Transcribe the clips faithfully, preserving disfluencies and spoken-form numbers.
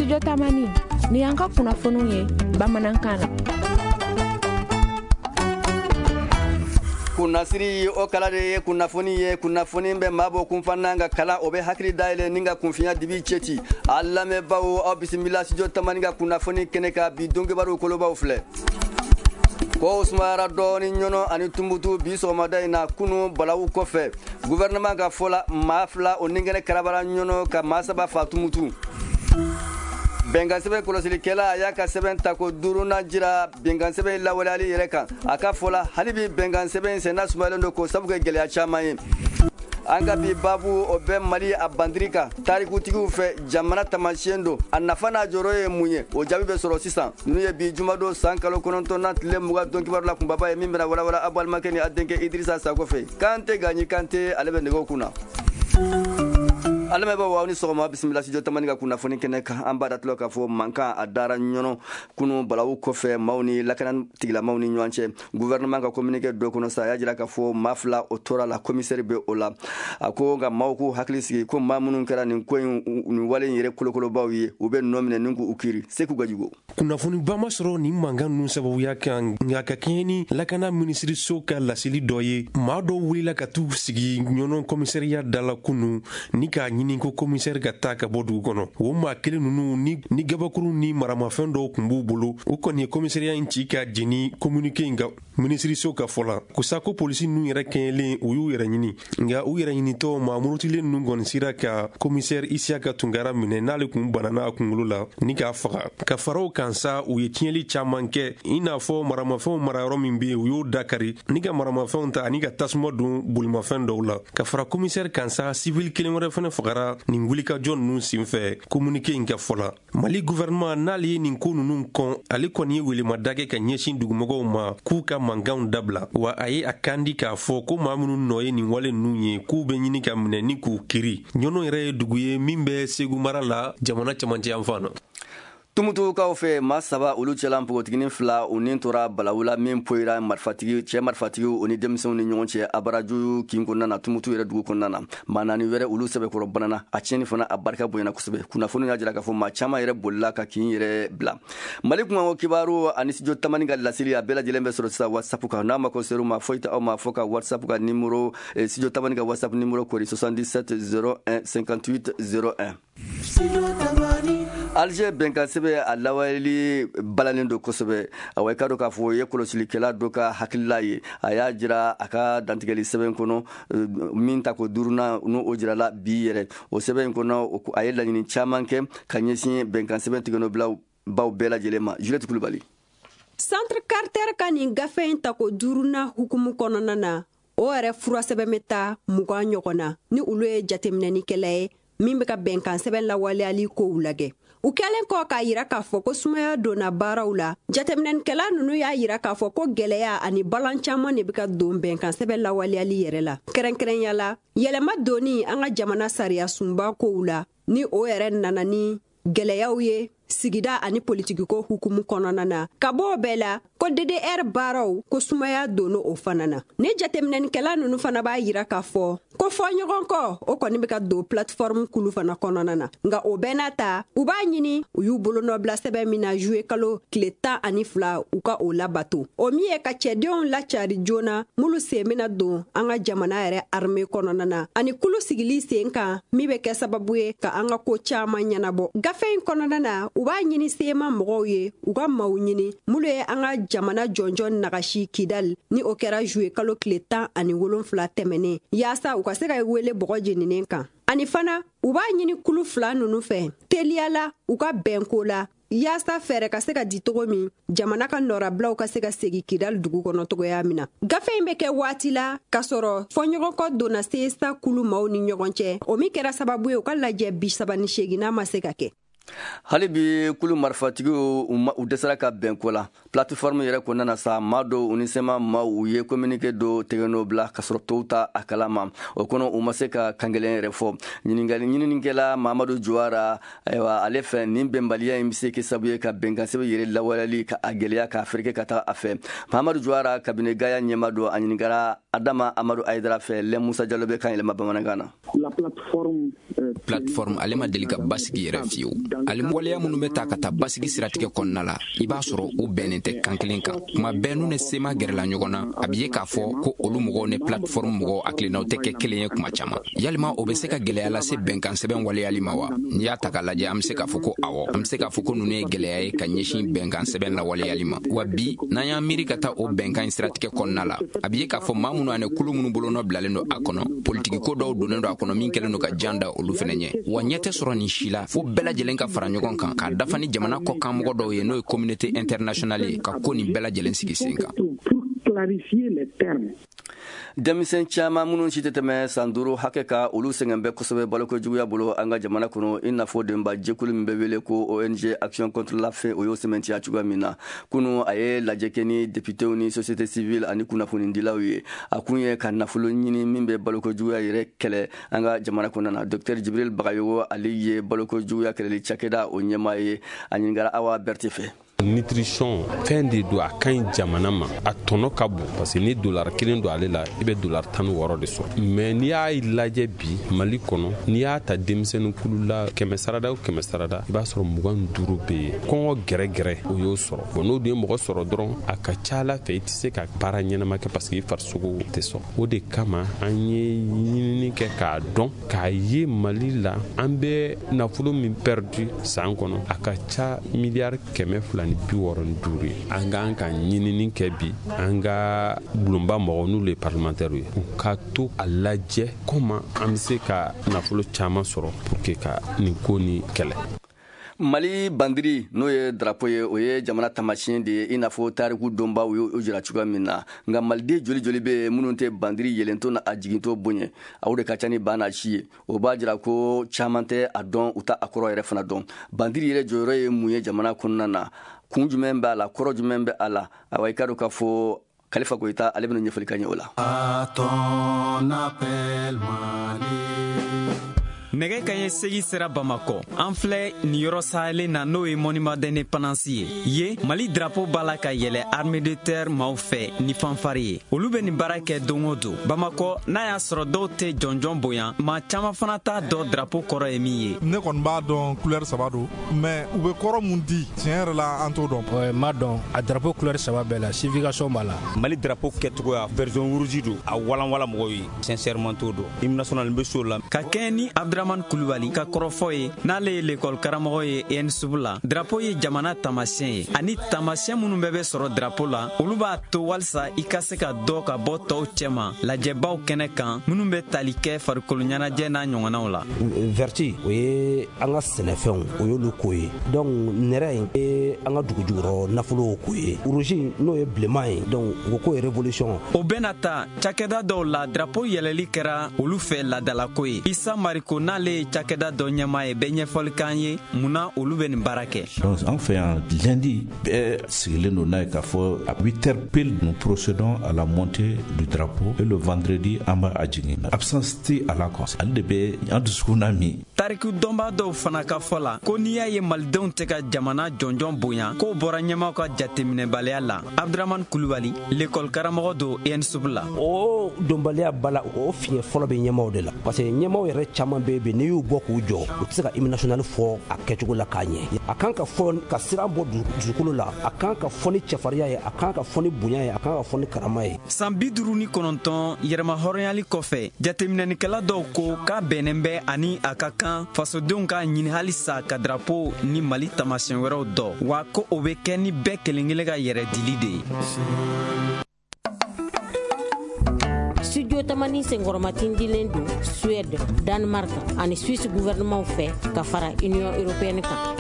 Studio Tamani, ni y'an ka kunnafoniw ye bamanankan na. Kunnasiri o kala de ye kunnafoni ye, kunnafoni bɛ maa bɔ kunfana ka kalan, o bɛ hakili dayɛlɛ ni ka kunfinya dibi cɛci. A lamɛnbaaw, aw bisimila Studio Tamani ka kunnafoni kɛnɛ kan. Bi donkibaru kolobaw filɛ. Kow sumayara dɔɔni Ɲɔnɔ ani Tumutu bi sɔgɔmada in na kunu balawu kɔfɛ. Gouvernement ka fɔ la, maa fila o ninkɛnɛ karabara Ɲɔnɔ ka maa saba fa Tumutu. Bɛnkan sɛbɛn kɔlɔsilikɛla a y'a ka sɛbɛn tako duurunan jira bɛnkan sɛbɛn lawaleyali yɛrɛ kan. A ka fɔ la, hali bi bɛnkan sɛbɛn senna sumayalen don k'o sabu kɛ gɛlɛya caman ye. An ka bi baabu o bɛ Mali a bandiri kan tarikutigiw fɛ, jamana taamasiyɛn don, a nafa n'a jɔyɔrɔ ye mun ye, o jaabi bɛ sɔrɔ sisan. Ninnu ye bi jumadon san kalo kɔnɔntɔnnan tile mugan don kibaru la kunbaba ye min bɛna walawala aw balimakɛ ni a denkɛ Idirisa Sako fɛ. Kante Gaɲi Kante, ale bɛ nɛgɛw kunna. A lamɛnbaaw, aw ni sɔgɔma, bisimila Studio Tamani ka kunnafoni kɛnɛ kan. An b'a datulɔ k'a fɔ mankan a dara Ɲɔnɔ kunu balawu kɔfɛ maaw ni lakana tigilamaw ni ɲɔgɔn cɛ. Gouvernement ka communiqué dɔ kɔnɔ sa, a y'a jira k'a fɔ maa fila o tora la, commissaire bɛ o la. A ko nka maaw k'u hakili sigi ko maa minnu kɛra nin ko in, nin wale in yɛrɛ kolokolobaw ye, u bɛ nɔ minɛ ni k'u kiiri. Seku Gajigo. Kunnafoniba ma sɔrɔ nin mankan ninnu sababuya kan, nka ka kɛɲɛ ni lakana minisiriso ka laseli dɔ ye, maa dɔw wulila ka t'u sigi Ɲɔnɔ commissariat da la kunu ni k'a ɲini ko commissaire ka taa ka bɔ dugu kɔnɔ. O maa kelen ninnu ni, ni gabakuru ni maramafɛn dɔw tun b'u bolo, u kɔni ye commissariat in ci ka jeni communiqué in ka minisiriso ka fɔ la. Ko sa ko polisi ninnu yɛrɛ kɛɲɛlen, u y'u yɛrɛ ɲini, nka u yɛrɛ ɲinitɔ maa murutilen ninnu kɔni sera ka commissaire Isiyaka Tunkara minɛ n'ale kun banana a kunkolo la ni k'a faga. Ka fara o kan sa, u ye tiɲɛli caman kɛ, i n'a fɔ maramafɛnw marayɔrɔ min bɛ yen, u y'o dakari ni ka maramafɛnw ta ani ka tasuma don bolimafɛn dɔw la. Ka fara commissaire kan sa, civil kelen wɛrɛ fɛnɛ fagara nin wulikajɔ ninnu senfɛ, communiqué in ka fɔ la. Mali gouvernement n'ale ye nin ko ninnu kɔn, ale kɔni ye welemada kɛ ka ɲɛsin dugumɔgɔw ma k'u ka mankanw dabila, wa a ye a kan di k'a fɔ ko maa minnu nɔ ye nin wale ninnu ye, k'u bɛ ɲini ka minɛ ni k'u kiri. Ɲɔnɔ yɛrɛ ye dugu ye min bɛ Segu mara la, jamana cɛmancɛ yanfan na. Tumutukaw fɛ, maa saba olu cɛla npogotiginin fila u ni tora balawu la min poyira marifatigi cɛ marifatigiw o ni denmisɛnw ni ɲɔgɔn cɛ Abaraju kin kɔnɔna na, Tumutu yɛrɛ dugu kɔnɔna na. Maa naani wɛrɛ olu sɛbɛkɔrɔ banana, a tiɲɛni fana a barika bonyana kosɛbɛ. Kunnafoni y'a jira k'a fɔ maa caman yɛrɛ bolila ka kin yɛrɛ bila. Mali kunkanko kibaru ani Studio Tamani ka laseli a bɛɛ lajɛlen bɛ sɔrɔ sisan WhatsApp kan. N'a mako ser'u ma, foyi tɛ aw ma fo ka WhatsApp ka numéro, Studio Tamani ka WhatsApp numéro kori soixante-dix-sept zéro un cinquante-huit zéro un. Alger bɛnkan sɛbɛn a lawaleli balalen don kosɛbɛ. Awa, i ka dɔn k'a fɔ o ye kɔlɔsilikɛla dɔ ka hakilila ye. A y'a jira a ka dantigɛli sɛbɛn kɔnɔ min ta ko duurunan n'o o jirala bi yɛrɛ. O sɛbɛn in kɔnɔ, a ye laɲini caman kɛ ka ɲɛsin bɛnkan sɛbɛn tigɛnɔbilaw baw bɛɛ lajɛlen ma. Juliette Kulubali. Centre Carter ka nin gafe in tako duurunan hukumu kɔnɔna na, o yɛrɛ furasɛbɛn bɛ taa mugan ɲɔgɔn na ni olu ye jateminɛnikɛla ye min bɛ ka bɛnkan sɛbɛn lawaleyali kow lajɛ. U kɛlen kɔ k'a yira k'a fɔ ko sumaya donna baaraw la, jateminɛnikɛla ninnu y'a yira k'a fɔ ko gɛlɛya ani balan caman de bɛ ka don bɛnkan sɛbɛn lawaleyali yɛrɛ la. Kɛrɛnkɛrɛnya la, yɛlɛma donni an ka jamana sariya sunba kow la, ni o yɛrɛ nana ni gɛlɛyaw ye sigida ani politikiko hukumu kɔnɔna na. Ka bɔ o bɛɛ la, ko D D R baaraw ko sumaya donna o fana na. Ni jateminɛnikɛla ninnu fana b'a yira k'a fɔ ko fɔ ɲɔgɔn kɔ o kɔni bɛ ka don plateforme kulu fana kɔnɔna na. Nka o bɛɛ n'a ta, u b'a ɲini u y'u bolonɔbila sɛbɛn min na juillet kalo tile tan ani fila, u ka o labato. O min ye ka cɛdenw lacari joona minnu sen bɛna don an ka jamana yɛrɛ armée kɔnɔna na, ani kulu sigili sen kan min bɛ kɛ sababu ye ka an ka ko caman ɲɛnabɔ. Gafe in kɔnɔna na, u b'a ɲini sema mɔgɔw ye u ka maaw ɲini minnu ye an ka jamana jɔnjɔn nagasi Kidal, ni o kɛra juillet kalo tile tan ani wolonfila tɛmɛnen, yaasa u ka se ka wele bɔgɔ jeninen kan. Ani fana u b'a ɲini kulu fila ninnu fɛ teliya la u ka bɛnko la, yaasa fɛɛrɛ ka se ka di cogo min jamana ka nɔrabilaw ka se ka segin Kidal dugu kɔnɔ cogoya min na. Gafe in bɛ kɛ waati la k'a sɔrɔ fɔɲɔgɔnkɔ donna C S A kulu maaw ni ɲɔgɔn cɛ, o min kɛra sababu ye u ka lajɛ bi saba ni seeginna ma se ka kɛ. Hali bi kulu marifatigiw u dɛsɛra ka bɛn ko la plateforme yɛrɛ kɔnɔna na sa. Maa dɔw u ni C M A maaw u ye communiqué dɔ tɛgɛnɔ bila ka sɔrɔ tɔw ta a kalama. O kɔnɔ, u ma se ka kankelen yɛrɛ fɔ. Ɲininkali ɲininikɛla Mamadu Juwara, ayiwa, ale fɛ nin bɛnbaliya in bɛ se kɛ sababu ye ka bɛnkan sɛbɛn yɛrɛ lawaleyali ka a gɛlɛya k'a fereke ka taga a fɛ. Mamadu Juwara, cabinet Gaya ɲɛma don, a ɲininkara Adama Amadu Ayidara fɛ. Lɛ Musa Jalo bɛ kan yɛlɛma bamanankan na. Plateforme ale ma deli ka basigi yɛrɛ fiyewu. Ani waleya minnu bɛ ta ka taa basigi siratigɛ kɔnɔna la, i b'a sɔrɔ u bɛnnen tɛ kan kelen kan. Kuma bɛɛ n'u ni C M A gɛrɛla ɲɔgɔn na, a bɛ ye k'a fɔ ko olu mɔgɔw ni plateforme mɔgɔw hakilinaw tɛ kɛ kelen ye kuma caman. Yalima o bɛ se ka gɛlɛya lase bɛnkan sɛbɛn waleyali ma wa? N'i y'a ta k'a lajɛ, an bɛ se k'a fɔ ko awɔ. An bɛ se k'a fɔ ko ninnu ye gɛlɛya ye ka ɲɛsin bɛnkan sɛbɛn lawaleyali ma. Wa bi, n'an y'an miiri ka taa o bɛnkan in siratigɛ kɔnɔna la, a bɛ ye k'a fɔ maa minnu ani kulu minnu bolonɔ bilalen don a kɔnɔ, politiki ko dɔw donnen don a kɔnɔ min kɛlen don ka jan da olu fɛnɛ ɲɛ. Wa ɲɛ tɛ sɔrɔ nin si la fo bɛɛ lajɛlen ka fara ɲɔgɔn kan k'a dafa ni jamana kɔkanmɔgɔ dɔw ye, n'o ye communauté internationale ye, ka ko nin bɛɛ lajɛlen sigi sen kan. Denmisɛn caman minnu si tɛ tɛmɛ san duuru hakɛ ka, olu sɛgɛn bɛ kosɛbɛ baloko juguya bolo an ka jamana kɔnɔ, i n'a fɔ denba jɛkulu min bɛ wele ko O N G Action contre la faim, o y'o sɛmɛntiya cogoya min na. Kunu, a ye lajɛ kɛ ni députéw ni société civile ani kunnafonidilaw ye. A kun ye ka nafolo ɲini min bɛ baloko juguya yɛrɛ kɛlɛ an ka jamana kɔnɔna na. Docteur Jibril Bagayogo, ale ye baloko juguya kɛlɛli cakɛda o ɲɛmaa ye. A ɲininkara Awa Berete fɛ. Nutrition, fɛn de don, a ka ɲi jamana ma, a tɔnɔ ka bon, parce que ni dollar kelen don ale la, i bɛ dollar tan ni wɔɔrɔ de sɔrɔ. Mais n'i y'a lajɛ bi Mali kɔnɔ, n'i y'a ta denmisɛnnin kulu la, kɛmɛ sarada o kɛmɛ sarada, i b'a sɔrɔ mugan ni duuru bɛ yen, kɔngɔ gɛrɛgɛrɛ o y'o sɔrɔ. Bon, n'o dun ye mɔgɔ sɔrɔ dɔrɔn, a ka ca ala fɛ i tɛ se ka baara ɲɛnama kɛ, parce que i farisogo tɛ sɔn. O de kama an ye ɲinini kɛ k'a dɔn k'a ye Mali la, an bɛ nafolo min perdu san kɔnɔ, a ka ca miliyari kɛmɛ fila ni bi wɔɔrɔ ni duuru ye. An k'an ka ɲinini kɛ bi, an ka bulonba mɔgɔw, n'olu ye parlementaire ye, u ka to a lajɛ comment an bɛ se ka nafolo caman sɔrɔ pour que ka nin ko ni kɛlɛ. Mali bandiri, n'o ye drapeau ye, o ye jamana tamasiyɛn de ye, i n'a fɔ tariku donbaw y'o jira cogoya min na. Nka maliden joli joli bɛ yen minnu tɛ bandiri yɛlɛntɔ na a jigintɔ bonya? Aw de ka ca ni ba n'a si ye. O b'a jira ko caman tɛ a dɔn, u ta a kɔrɔ yɛrɛ fana dɔn. Bandiri yɛrɛ jɔyɔrɔ ye mun ye jamana kɔnɔna na? Kun jumɛn b'a la? Kɔrɔ jumɛn bɛ a la? Awa, i ka dɔn k'a fɔ Kalifa Goyita, ale bɛna ɲɛfɔli ka ɲɛ o la. À ton appel, Mali. Nɛgɛ kaɲɛ segi sera Bamakɔ. An filɛ nin yɔrɔ sahelen na, n'o ye Monument d'Indépendance ye. Ye Mali drapeau b'a la ka yɛlɛ armée de terre maaw fɛ ni fanfare ye. Olu bɛ nin baara kɛ don o don Bamakɔ. N'a y'a sɔrɔ dɔw tɛ jɔnjɔn bonya, maa caaman fana t'a dɔn drapeau kɔrɔ ye min ye. Ne kɔni b'a dɔn, couleur saba don, mais u bɛ kɔrɔ mun di, tiɲɛ yɛrɛ la, an t'o dɔn. M'a dɔn, a drapeau couleur saba bɛɛ la, signification b'a la. Mali drapeau kɛcogoya, vert jaune rouge don, a walanwala mɔgɔw ye. Sincèrement, t'o dɔn. Hymne national n bɛ so la. Ka kɛɲɛ ni Abdramane Kulubali ka kɔrɔfɔ ye, n'ale ye lekɔli karamɔgɔ ye E N S U B la, drapeau ye jamana taamasiyɛn ye, ani taamasiyɛn minnu bɛɛ bɛ sɔrɔ drapeau la, olu b'a to walisa i ka se ka dɔ ka bɔ tɔw cɛma lajɛbaw kɛnɛ kan minnu bɛ tali kɛ farikolo ɲɛnajɛ n'a ɲɔgɔnnaw la. Vert, o ye an ka sɛnɛfɛnw, o y'olu ko ye. Donc nɛrɛ in ye an ka dugu jukɔrɔ nafolow ko ye. Rouge, n'o ye bilenman ye, donc o ko ye révolution. O bɛna ta cakɛda dɔw la, drapeau yɛlɛli kɛra olu fɛ ladalako ye. Isa Mariko, n'ale ye cakɛda dɔ ɲɛmaa ye, bɛ ɲɛfɔli k'an ye munna olu bɛ nin baara kɛ. Donc an fɛ yan, lundi, bɛɛ sigilen don n'a ye k'a fɔ à huit heures pile, nous procédons à la montée du drapeau, et le vendredi, an b'a a jigin. Absence tɛ a la quoi, ale de bɛ an dusukun na min. Tariku dɔnbaa dɔw fana ka fɔ la ko n'i y'a ye malidenw tɛ ka jamana jɔnjɔn bonya, k'o bɔra ɲɛmaw ka jateminɛbaliya la. Abdramane Kulubali, lekɔli karamɔgɔ don E N S U B la. O donbaliya ba la, o fiɲɛ fɔlɔ bɛ ɲɛmaw de la, parce que ɲɛmaw yɛrɛ caman bɛ yen, n'i y'u bɔ k'u jɔ, u tɛ se ka hymne national fɔ a kɛcogo la k'a ɲɛ. A kan ka fɔ ka siran bɔ dusukolo la, a kan ka fɔ ni cɛfarinya ye, a kan ka fɔ ni bonya ye, a kan ka fɔ ni karama ye. San bi duuru ni kɔnɔntɔn yɛrɛma hɔrɔnyali kɔfɛ, jateminɛnikɛla dɔw ko k'a bɛnnen bɛ ani a ka kan fasodenw k'a ɲini halisa ka drapeau ni Mali taamasiyɛn wɛrɛw dɔn, wa ko o bɛ kɛ ni bɛɛ kelen kelen ka yɛrɛ dili de ye. Studio Tamani senkɔrɔmatindilen don Suède, Danemark ani Suisse gouvernement fɛ ka fara Union européenne kan.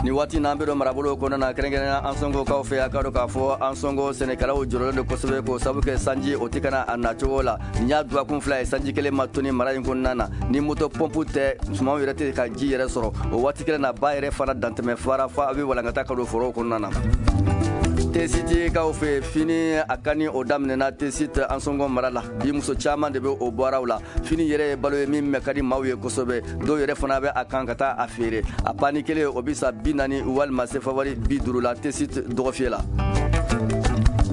Ni waati n'an bɛ don marabolo kɔnɔna na, kɛrɛnkɛrɛnnenya Ansɔngokaw fɛ, a ka dɔn k'a fɔ Ansɔngo sɛnɛkɛlaw jɔrɔlen don kosɛbɛ, k'o sababu kɛ sanji o tɛ ka na a nacogo la. Nin y'a dɔgɔkun fila ye sanji kelen ma toni mara in kɔnɔna na. Ni moto pɔnpu tɛ, sumanw yɛrɛ tɛ ka ji yɛrɛ sɔrɔ. O waati kelen na, ba yɛrɛ fana dantɛmɛ fara fa a bɛ walankata ka don forow kɔnɔna na. Tesitikaw fɛ, fini a ka ni o daminɛna Tesit Ansɔngɔ mara la. Bi, muso caman de bɛ o baaraw la. Fini yɛrɛ ye balo ye min mɛ ka di maaw ye kosɛbɛ. Dɔw yɛrɛ fana bɛ a kan ka taa a feere. A pani kelen, o bɛ sa bi naani walima sefa wari bi duuru la Tesit dɔgɔfiyɛ la.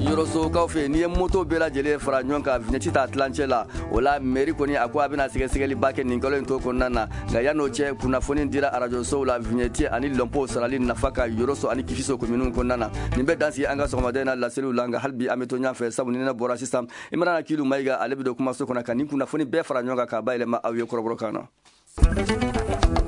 Yɔrɔsokaw fɛ n'i ye moto bɛɛ lajɛlen fara ɲɔgɔn kan, vignette t'a tilancɛ la. O la, mairie kɔni a ko a bɛna sɛgɛsɛgɛliba kɛ nin kalo in to kɔnɔna na. Nka yan'o cɛ, kunnafoni dira arajosow la vignette ani lɔnpo sarali nafa ka Yɔrɔso ani Kifiso kominiw kɔnɔna na. Nin bɛ dansigi an ka sɔgɔmaden na laseliw la. Nka hali bi an bɛ to ɲɔgɔn fɛ, sabu ni ne bɔra sisan, Imrana Kilu Mayiga, ale bɛ don kumaso kɔnɔ ka nin kunnafoni bɛɛ fara ɲɔgɔn kan k'a bayɛlɛma aw ye kɔrɔbɔrɔkan na.